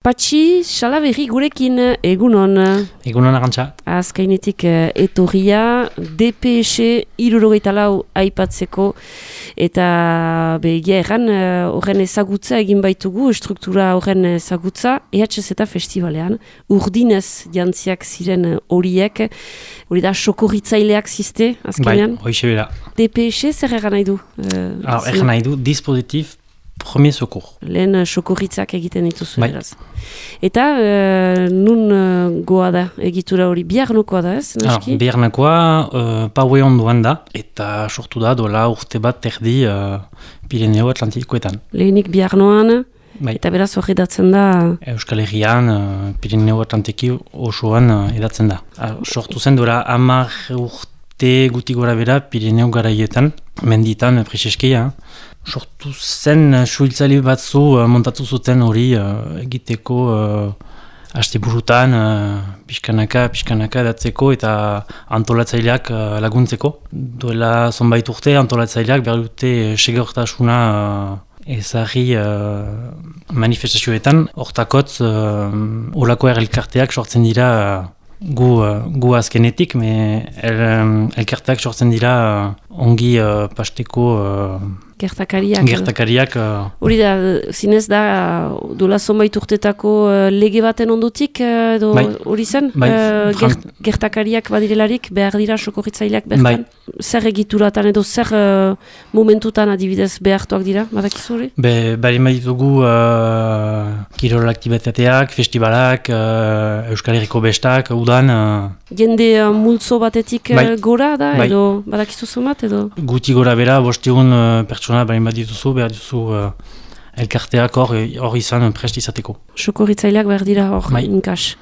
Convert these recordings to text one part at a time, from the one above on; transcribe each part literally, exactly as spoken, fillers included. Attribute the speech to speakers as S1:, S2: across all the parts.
S1: Patxi, Salaberri gurekin egunon.
S2: Egunon Arantxa.
S1: Azkainetik etorria, D P S hirurogeita lau aipatzeko, eta begia erran horren ezagutza egin baitugu, struktura horren ezagutza, E H Z festivalean, urdinez jantziak ziren horiek, hori da sokorritzaileak ziste, azkenean?
S2: Bai, hoixe bera.
S1: D P S zer erran nahi du?
S2: Uh, erran nahi du, dispositif premier secours.
S1: Lehen sokorritzak egiten dituzu,
S2: bai.
S1: Eraz. Eta uh, nun uh, goa da egitura hori, biharnokoa da ez?
S2: Naski? Biharnokoa uh, paue onduan da, eta sortu da dola urte bat terdi uh, Pirineo Atlantikoetan.
S1: Lehenik biharnoan,
S2: bai.
S1: Eta beraz hori edatzen da...
S2: Euskal Herrian, uh, Pirineo Atlantiki osoan uh, edatzen da. Uh, sortu zen dola hamar urte guti gora bera Pirineo garaietan, menditan, preseskeia. Sortu zen suhiltzaile batzu uh, montatu zuten hori uh, egiteko uh, asteburutan uh, pixkanaka, pixkanaka edatzeko eta antolatzaileak uh, laguntzeko. Duela zonbait urte antolatzaileak behar dute segurtasuna uh, ezagri uh, manifestazioetan. Hortakotz uh, olako elkarteak sortzen dira uh, gu, uh, gu azkenetik, me el, um, elkarteak sortzen dira uh, ongi uh, pasteko uh,
S1: Gertakariak.
S2: Gertakariak.
S1: Hori uh... da, zinez da, dola zonbait urtetako uh, lege baten ondotik, edo uh, hori zen?
S2: Bai,
S1: uh, gert, gertakariak badirelarik, behar dira sokorritzaileak bertan? Bai. Zer egituratan edo zer uh, momentutan adibidez behartuak dira, badakizu hori?
S2: Be, bari maitugu uh, kirol aktibitateak, festivalak, uh, Euskal Herriko bestak, udan... Uh...
S1: Jende uh, multzo batetik uh,
S2: bai.
S1: Gora da,
S2: bai.
S1: Edo badakizu zomat, edo?
S2: Guti gora bera, bostegun uh, pertsona bari bat dituzu, behar dituzu uh, elkarteak hor, hor izan prest izateko.
S1: Sokorritzaileak behar dira hor,
S2: bai.
S1: Inkas.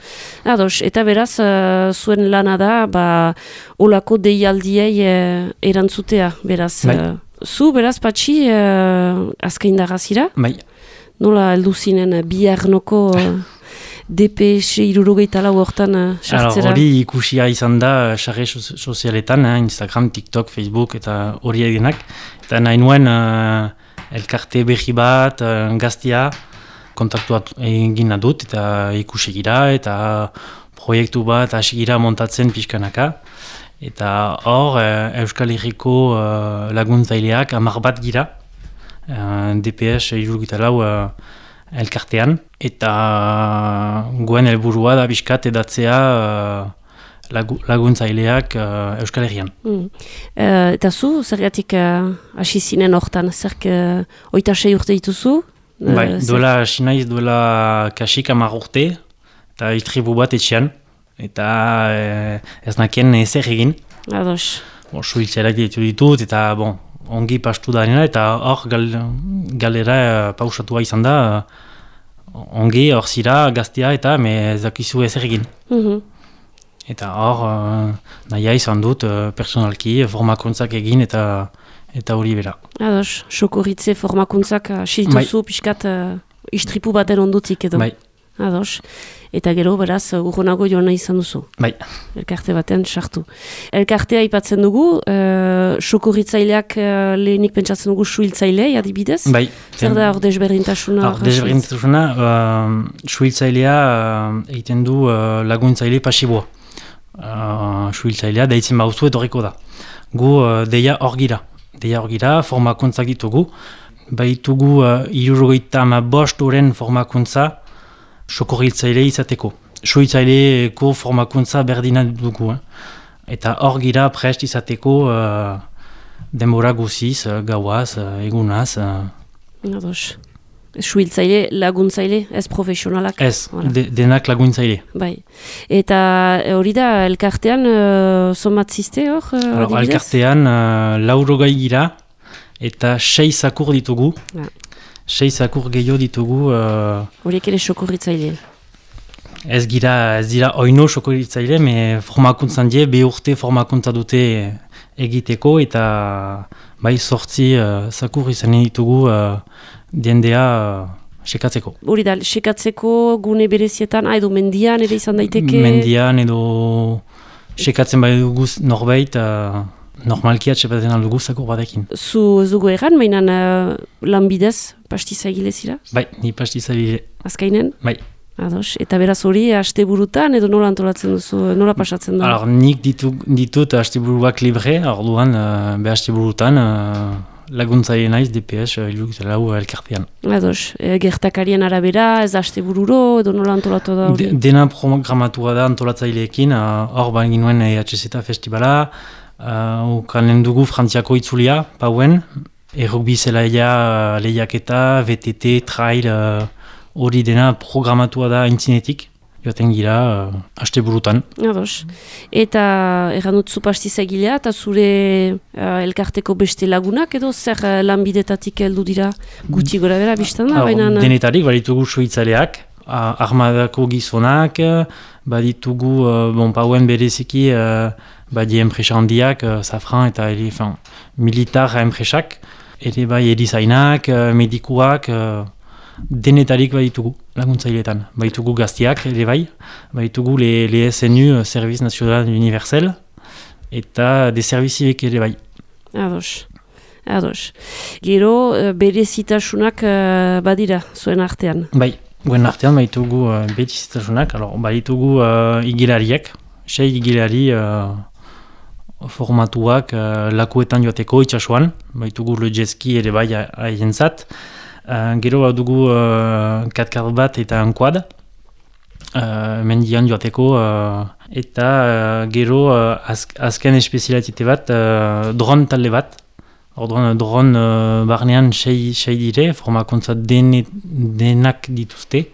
S1: Ados, eta beraz, uh, zuen lana da, ba, olako deialdiei uh, erantzutea, beraz.
S2: Bai.
S1: Uh, zu, beraz, Patxi, uh, azkaindarra zira?
S2: Bai.
S1: Nola heldu zinen biharnoko... Uh, D P S hirurogeita lau hortan sartzera?
S2: Hori ikusia izan da sare sozialetan, eh, Instagram, TikTok, Facebook eta hori edenak. Eta nahi nuen uh, elkarte berri bat, uh, gaztia, kontaktua egin dut eta ikusi gira eta proiektu bat hasi gira montatzen pixkanaka. Eta hor uh, Euskal Herriko uh, laguntzaileak hamar bat gira, uh, D P S hirurogeita lau uh, elkartean, eta guen helburua da bizkat edatzea uh, lagu, laguntzaileak uh, Euskal Herrian.
S1: Mm. Uh, eta zu, zergatik hasi uh, zinen hortan, zerk uh, oita sei urte dituzu? Uh,
S2: bai, duela hasi naiz, duela kasik hamar urte, eta istribu bat etxean, eta uh, ez nakien ezer egin.
S1: Ados.
S2: Bon, suhiltzaileak ditu ditut, eta bon, ongi pastu da nena, eta hor gal, galera uh, pausatua izan da, uh, ongi hor zira gaztea eta me zakizu ezer egin.
S1: Mm-hmm.
S2: Eta hor uh, nahia izan dut uh, personalki formakuntzak egin eta eta hori bera.
S1: Ados, sokorritze formakuntzak siltuzu bai. Piskat uh, istripu baten ondutik edo.
S2: Bai.
S1: Ados. Eta gero, beraz, urrunago joan nahi izan duzu.
S2: Bai.
S1: Elkarte baten sartu. Elkartea aipatzen dugu, uh, sokorritzaileak uh, lehenik pentsatzen dugu suhiltzailei, adibidez?
S2: Bai.
S1: Zer da hor desberdintasuna?
S2: Hor desberdintasuna, uh, suhiltzailea uh, egiten du uh, laguntzaile pasiboa. Uh, suhiltzailea deitzen bauzu etorriko da. Gu uh, deia hor gira. Deia hor gira, formakuntzak ditugu. Baitugu uh, hirurogeita hamabost oren formakuntza sokorritzaile izateko. Suhiltzaileeko formakuntza berdina dugu. Eh? Eta hor gira prest izateko uh, denbora guziz, uh, gauaz, uh, egunaz. Uh.
S1: Ados. Suhiltzaile, laguntzaile, ez profesionalak?
S2: Ez, de, denak laguntzaile.
S1: Bai. Eta hori da, elkartean, uh, somat ziste hor? Uh,
S2: elkartean, uh, laurogai gira eta sei zakur ditugu. Ah. Sei zakur gehiago ditugu...
S1: Horiek uh, ere sokorritzaile?
S2: Ez gira, ez dira oino sokorritzaile, me formakuntzan die, be urte formakuntza dute egiteko, eta bai sortzi uh, zakur izan ditugu uh, diendea uh, sekatzeko.
S1: Hori da, sekatzeko gune berezietan, edo mendian ere izan daiteke?
S2: Mendian edo sekatzen bai duguz norbait... Uh, Normalki atxepaten aldugu zakur batekin.
S1: Zu ez dugu erran, mainan uh, lanbidez pastizagile zira?
S2: Bai, ni pastizagile.
S1: Azkainen?
S2: Bai.
S1: Ados, eta beraz hori asteburutan edo nola antolatzen duzu, nola pasatzen da?
S2: Alors, nik ditu, ditut asteburuak libre, orduan uh, be asteburutan uh, laguntzaile naiz D P S hirurogeita lau elkartean.
S1: Ados, e, gertakarien arabera, ez astebururo edo nola antolatu da hori?
S2: De, dena programatua da antolatzaileekin, hor uh, bain ginuen E H Z Festivala, uh, ukanen dugu Frantziako itzulia, pauen, errugbi zelaia lehiaketa, V T T, trail, hori uh, dena programatua da intzinetik. Joaten gira, uh, asteburutan.
S1: Ados. Eta erran dut zupastiz egilea, eta zure uh, elkarteko beste lagunak edo zer uh, lanbidetatik heldu dira guti gora bera biztan da? Baina...
S2: Denetarik, baditugu suitzaleak, uh, armadako gizonak, baditugu, uh, bon, pauen bereziki, uh, badi enpresa handiak, uh, Safran eta ere, fin, militar enpresak, ere bai erizainak, uh, medikuak, uh, denetarik baditugu laguntzaileetan. Baitugu gaztiak ere bai, baitugu le, le S N U, Service National Universel, eta de servizibek ere bai.
S1: Ados, ados. Gero, berezitasunak uh, badira, zuen artean?
S2: Bai, guen artean baitugu uh, berezitasunak, baitugu uh, igilariak, sei igilari uh, formatuak uh, lakuetan joateko itxasuan, baitugu le jetski ere bai haien zat. Uh, gero hau dugu uh, katkar bat eta ankoad, uh, mendian joateko, uh, eta uh, gero uh, azk, azken espezialitate bat, uh, dron talde bat. Orduan, dron uh, barnean sei, sei dire, formakuntza dene, denak dituzte,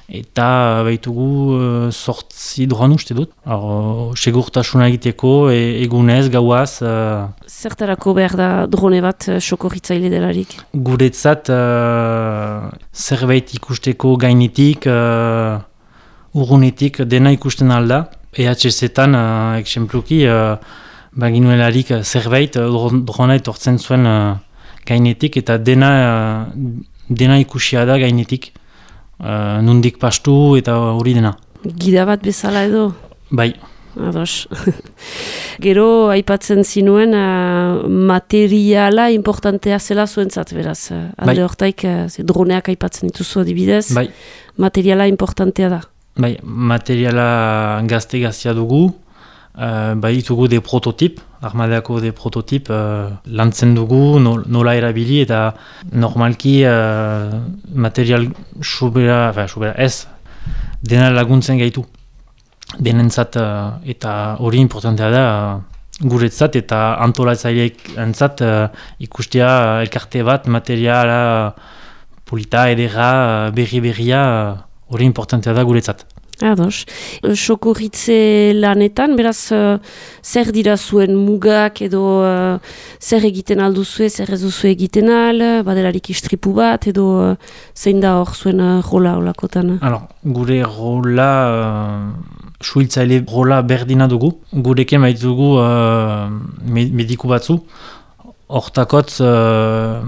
S2: eta baitugu uh, sortzi dron uste dut. Uh, segurtasuna egiteko, e, egunez, gauaz. Uh,
S1: Zertarako behar da drone bat uh, sokorritzaile delarik?
S2: Guretzat uh, zerbait ikusteko gainetik, uh, urrunetik, dena ikusten alda. E H Z-tan, uh, eksempluki, uh, baginuelarik zerbait uh, drona etortzen zuen uh, gainetik, eta dena, uh, dena ikusia da gainetik. Uh, nundik pastu eta hori dena.
S1: Gida bat bezala edo?
S2: Bai.
S1: Ados. Gero, aipatzen zinuen, uh, materiala importantea zela zuentzat, beraz. Uh, alde bai. Hortaik, uh, droneak aipatzen dituzu adibidez.
S2: Bai.
S1: Materiala importantea da.
S2: Bai, materiala gazte-gaztea dugu. Uh, bai ditugu de prototip, armadako de prototip uh, lantzen dugu, no, nola erabili eta normalki uh, material sobera, fa, sobera ez, dena laguntzen gaitu. Denentzat uh, eta hori importantea da uh, guretzat eta antolatzaileek entzat uh, ikustea uh, elkarte bat, materiala uh, polita, edera, uh, berri-berria, hori uh, importantea da guretzat.
S1: Ados. Sokorritze lanetan, beraz, uh, zer dira zuen mugak edo uh, zer egiten alduzue, zer ez duzue egiten al, badelarik istripu bat edo uh, zein da hor zuen uh, rola olakotan?
S2: Alors, gure rola, uh, suhiltzaile rola berdina dugu. Gureken baitugu uh, mediku batzu. Hortakotz, uh,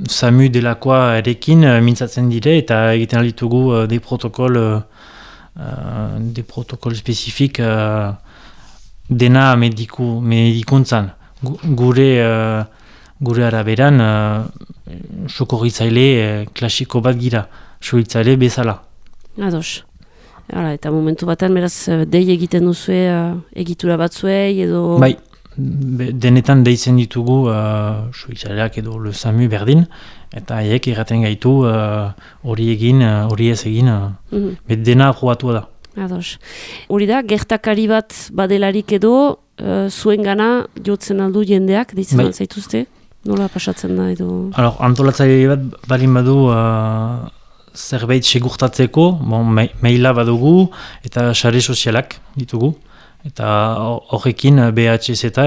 S2: SAMU delakoa erekin uh, mintzatzen dire eta egiten alditugu uh, de protokol uh, Uh, de protokol spezifik uh, dena mediku, medikuntzan. Gure, uh, gure araberan uh, sokorritzaile uh, klasiko bat gira, sokorritzaile bezala.
S1: Ados. Hala, eta momentu batean beraz dei egiten duzue uh, egitura batzuei edo...
S2: Bai, be, denetan deitzen ditugu uh, sokorritzaileak edo le SAMU berdin, eta haiek erraten gaitu hori uh, egin, hori uh, ez egin, uh, mm-hmm. bet dena aprobatua da.
S1: Ados. Hori da, gertakari bat badelarik edo, uh, zuen gana jotzen aldu jendeak, deitzen bai. Zaituzte? Nola pasatzen da edo?
S2: Alors, antolatzaile bat balin badu uh, zerbait segurtatzeko, bon, maila badugu eta sare sozialak ditugu. Eta horrekin B H Z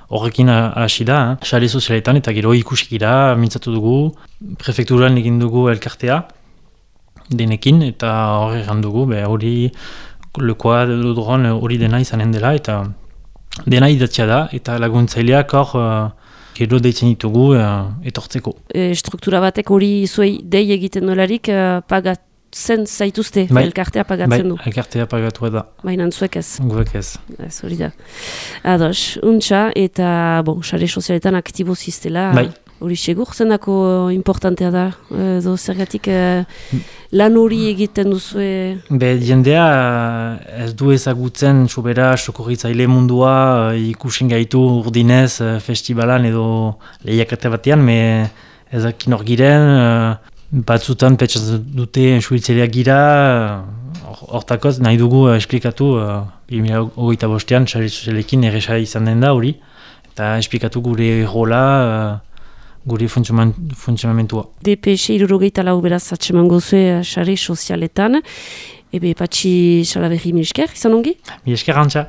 S2: horrekin uh, hasi da, eh? Sare sozialetan eta gero ikusikira mintzatu dugu, prefekturan egin dugu elkartea denekin eta horre dugu, hori lekoa dron hori dena izanen dela eta dena idatzia da eta laguntzaileak hor uh, gero deitzen ditugu uh, etortzeko. E,
S1: struktura batek hori zuei dei egiten dolarik uh, pagat zen zaituzte, bai, elkartea pagatzen
S2: bai,
S1: du.
S2: Elkartea pagatua da.
S1: Baina zuek ez.
S2: Guek ez.
S1: Ez hori da. Ados, untxa, eta, bon, sare sozialetan aktibo ziztela.
S2: Bai.
S1: Hori segur, zendako importantea da, edo zergatik uh, lan hori egiten duzue?
S2: Be, jendea ez du ezagutzen sobera sokorritzaile mundua ikusten gaitu urdinez festivalan edo lehiakate batean, me ezakin hor giren, uh, batzutan petxatzen dute suhiltzaileak gira, hortakoz nahi dugu uh, esplikatu uh, bi mila hogeita bostean sare sozialekin erresa izan den da hori, eta esplikatu gure rola, uh, gure funtzionamentua.
S1: D P S hirurogeita lau beraz atseman gozue sare sozialetan, ebe Patxi Salaberri, mil esker, izan ongi?
S2: Mil esker, Antxa.